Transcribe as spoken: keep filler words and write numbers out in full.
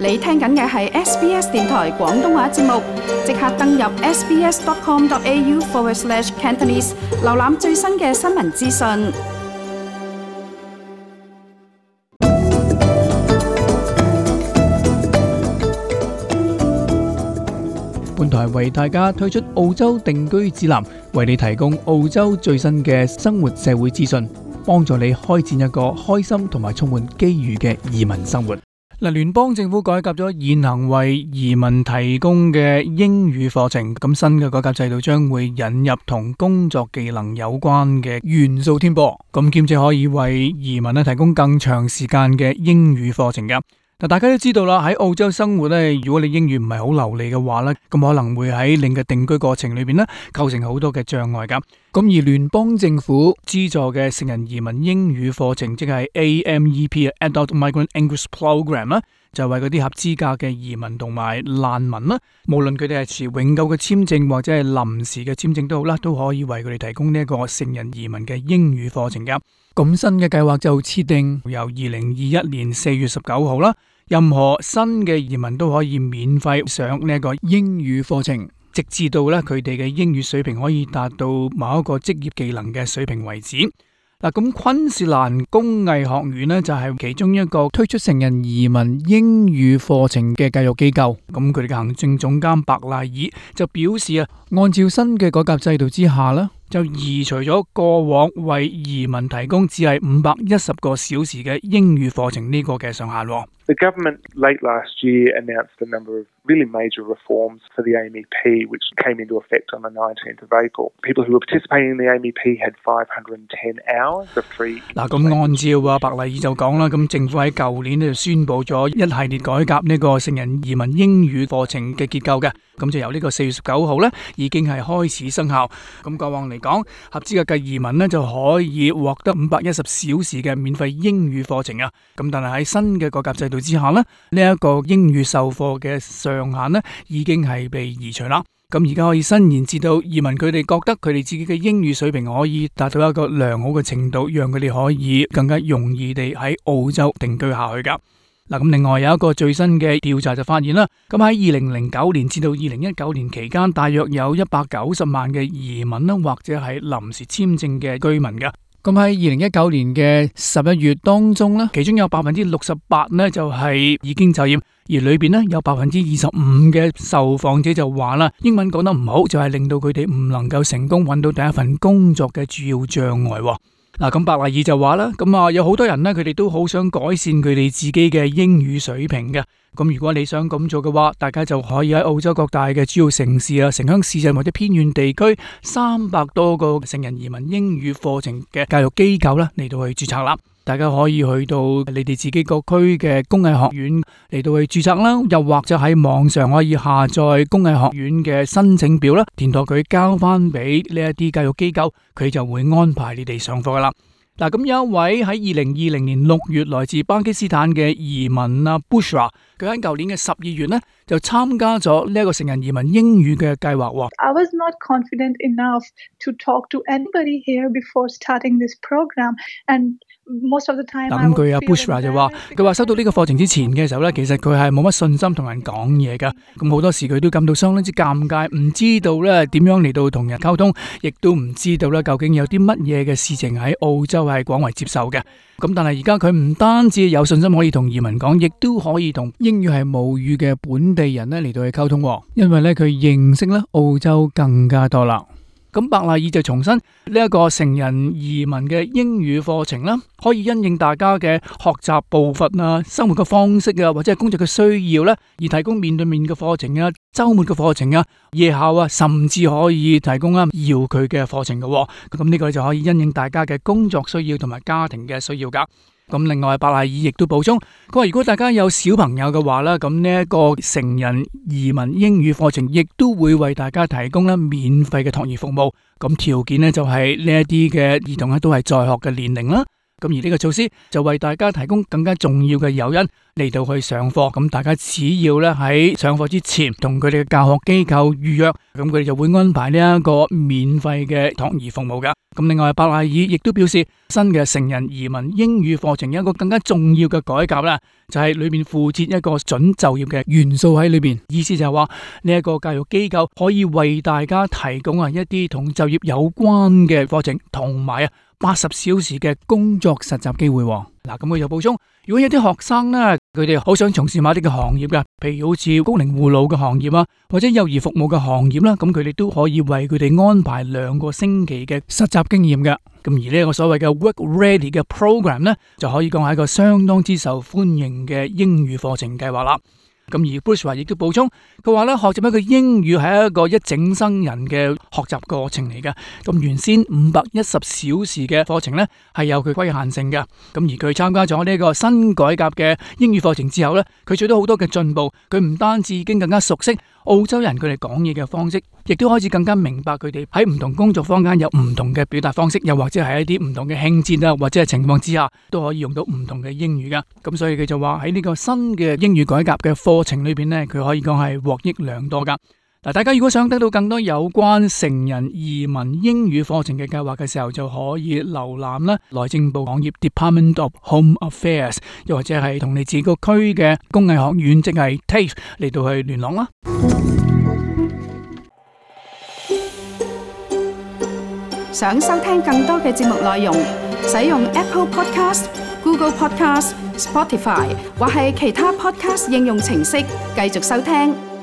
你聽緊嘅係 S B S 電台廣東話節目，即刻登入 sbs.com.au forward slash Cantonese， 瀏覽最新嘅新聞資訊。本台為大家推出澳洲定居指南，為你提供澳洲最新嘅生活社會資訊，幫助你開展一個開心同埋充滿機遇嘅移民生活。嗱，聯邦政府改革咗現行為移民提供嘅英語課程，咁新嘅改革制度將會引入同工作技能有關嘅元素添噃，咁兼且可以為移民咧提供更長時間嘅英語課程噶。嗱，大家都知道啦，喺澳洲生活咧，如果你英語唔係好流利嘅話咧，咁可能會喺你嘅定居過程裏邊咧構成好多嘅障礙噶。咁而聯邦政府資助嘅成人移民英語課程，即係 A M E P（Adult Migrant English Program） 啦，就係為嗰啲合資格嘅移民同埋難民啦，無論佢哋係持永久嘅簽證或者係臨時嘅簽證都好啦，都可以為佢哋提供呢一個成人移民嘅英語課程噶。咁新嘅計劃就設定由二零二一年四月十九號啦，任何新嘅移民都可以免費上呢一個英語課程，直至到咧佢哋嘅英語水平可以達到某一個職業技能嘅水平為止。嗱，咁昆士蘭工藝學院呢，就係其中一個推出成人移民英語課程嘅教育機構。咁佢哋嘅行政總監白賴爾就表示啊，按照新嘅改革制度之下呢，就移除咗過往為移民提供只係五百一十個小時嘅英語課程呢個嘅上限。The government late last year announced a number of really major reforms for the A M E P, which came into effect on the nineteenth of April. People who were participating in the A M E P had five hundred ten hours of free. 嗱，咁按照啊白麗爾就講啦，咁政府喺舊年呢就宣布咗一系列改革呢個成人移民英語課程嘅結構嘅，咁就由呢個四月十九號呢已經係開始生效。咁過往嚟講，合資格嘅移民呢就可以獲得五百一十小時嘅免費英語課程啊。咁但係喺新嘅改革制度之下呢，呢、這、一個英語授課嘅上限呢已經係被移除啦。咁而家可以伸延至到移民佢哋覺得佢哋自己嘅英語水平可以達到一個良好嘅程度，讓佢哋可以更加容易地喺澳洲定居下去噶。嗱，咁另外有一個最新嘅調查就發現啦，咁喺二零零九年至到二零一九年期間，大約有一百九十萬嘅移民啦，或者係臨時簽證嘅居民噶。咁喺二零一九年嘅十一月當中呢，其中有百分之六十八呢就係已經就業，而裏邊呢有百分之二十五嘅受訪者就話啦，英文講得唔好就係令到佢哋唔能夠成功揾到第一份工作嘅主要障礙。嗱，咁白賴爾就話啦，咁啊有好多人呢，佢哋都好想改善佢哋自己嘅英語水平嘅。咁如果你想咁做嘅話，大家就可以喺澳洲各大嘅主要城市啊、城鄉市鎮或者偏遠地區三百多個成人移民英語課程嘅教育機構啦嚟到去註冊啦。大家可以去到你哋自己個區嘅工藝學院嚟到去註冊啦，又或者喺網上可以下載工藝學院嘅申請表啦，填妥佢交翻俾呢一啲教育機構，佢就會安排你哋上課噶啦。嗱，咁有一位喺二零二零年六月來自巴基斯坦嘅移民啊 Bushra， 佢喺舊年嘅十二月呢就參加咗呢一個成人移民英語嘅計劃。I was not confident enough to talk to anybody here before starting this program, and most of the time。嗱，咁佢阿 Bushra 就話，佢話收到呢個課程之前嘅時候呢，其實佢係冇乜信心同人講嘢噶，咁好多時佢都感到相當之尷尬，唔知道咧點樣嚟到同人溝通，亦都唔知道咧究竟有啲乜嘢嘅事情喺澳洲係廣為接受嘅。咁但係而家佢唔單止有信心可以同移民講，亦都可以同英語係母語嘅本地人咧嚟到去溝通，因為咧佢認識咧澳洲更加多啦。咁白賴爾就重申呢一個成人移民嘅英語課程啦，可以因應大家嘅學習步伐啊、生活嘅方式啊，或者係工作嘅需要咧，而提供面對面嘅課程啊、周末嘅課程啊、夜校啊，甚至可以提供啊遙距嘅課程嘅。咁呢個就可以因應大家嘅工作需要同埋家庭嘅需要噶。咁另外白賴爾亦都補充，佢話如果大家有小朋友嘅話咧，咁呢一個成人移民英語課程亦都會為大家提供咧免費嘅托兒服務。咁條件呢就係呢一啲嘅兒童咧都係在學嘅年齡啦。咁而呢個措施就為大家提供更加重要嘅誘因嚟到去上課。咁大家只要咧喺上課之前同佢哋嘅教學機構預約，咁佢哋就會安排呢一個免費嘅託兒服務噶。咁另外，伯賴爾亦都表示，新嘅成人移民英語課程有一個更加重要嘅改革啦，就係裏面附設一個準就業嘅元素喺裏邊。意思就係話呢一個教育機構可以為大家提供啊一啲同就業有關嘅課程，同埋啊八十小時嘅工作實習機會。嗱，咁佢就補充，如果有啲學生呢，佢哋好想從事某啲嘅行業噶，譬如好似高齡護老嘅行業啊，或者幼兒服務嘅行業啦，咁佢哋都可以為佢哋安排兩個星期嘅實習經驗嘅。咁而呢一個所謂嘅 Work Ready 嘅 program 呢，就可以講係一個相當之受歡迎嘅英語課程計劃啦。咁而 Bruce 話亦都補充，佢話咧學習一個英語係一個一整生人嘅學習過程嚟嘅。咁原先五百一十小時嘅課程咧係有佢規限性嘅。咁而佢參加咗呢個新改革嘅英語課程之後咧，佢取得好多嘅進步。佢唔單止已經更加熟悉澳洲人佢哋講嘢嘅方式，亦都開始更加明白佢哋喺唔同工作坊間有唔同嘅表達方式，又或者係一啲唔同嘅興致啊，或者係情況之下都可以用到唔同嘅英語噶。咁所以佢就話喺呢個新嘅英語改革嘅課程裏邊呢，佢可以講係獲益良多噶。嗱，大家如果想得到更多有關成人移民英語課程嘅計劃嘅時候，就可以瀏覽啦內政部網頁 Department of Home Affairs， 又或者係同你自己個區嘅工藝學院，即係 T A F E 嚟到去聯絡啦。想收聽更多嘅節目內容，使用 Apple Podcast、Google Podcast、Spotify 或係其他 Podcast 應用程式繼續收聽。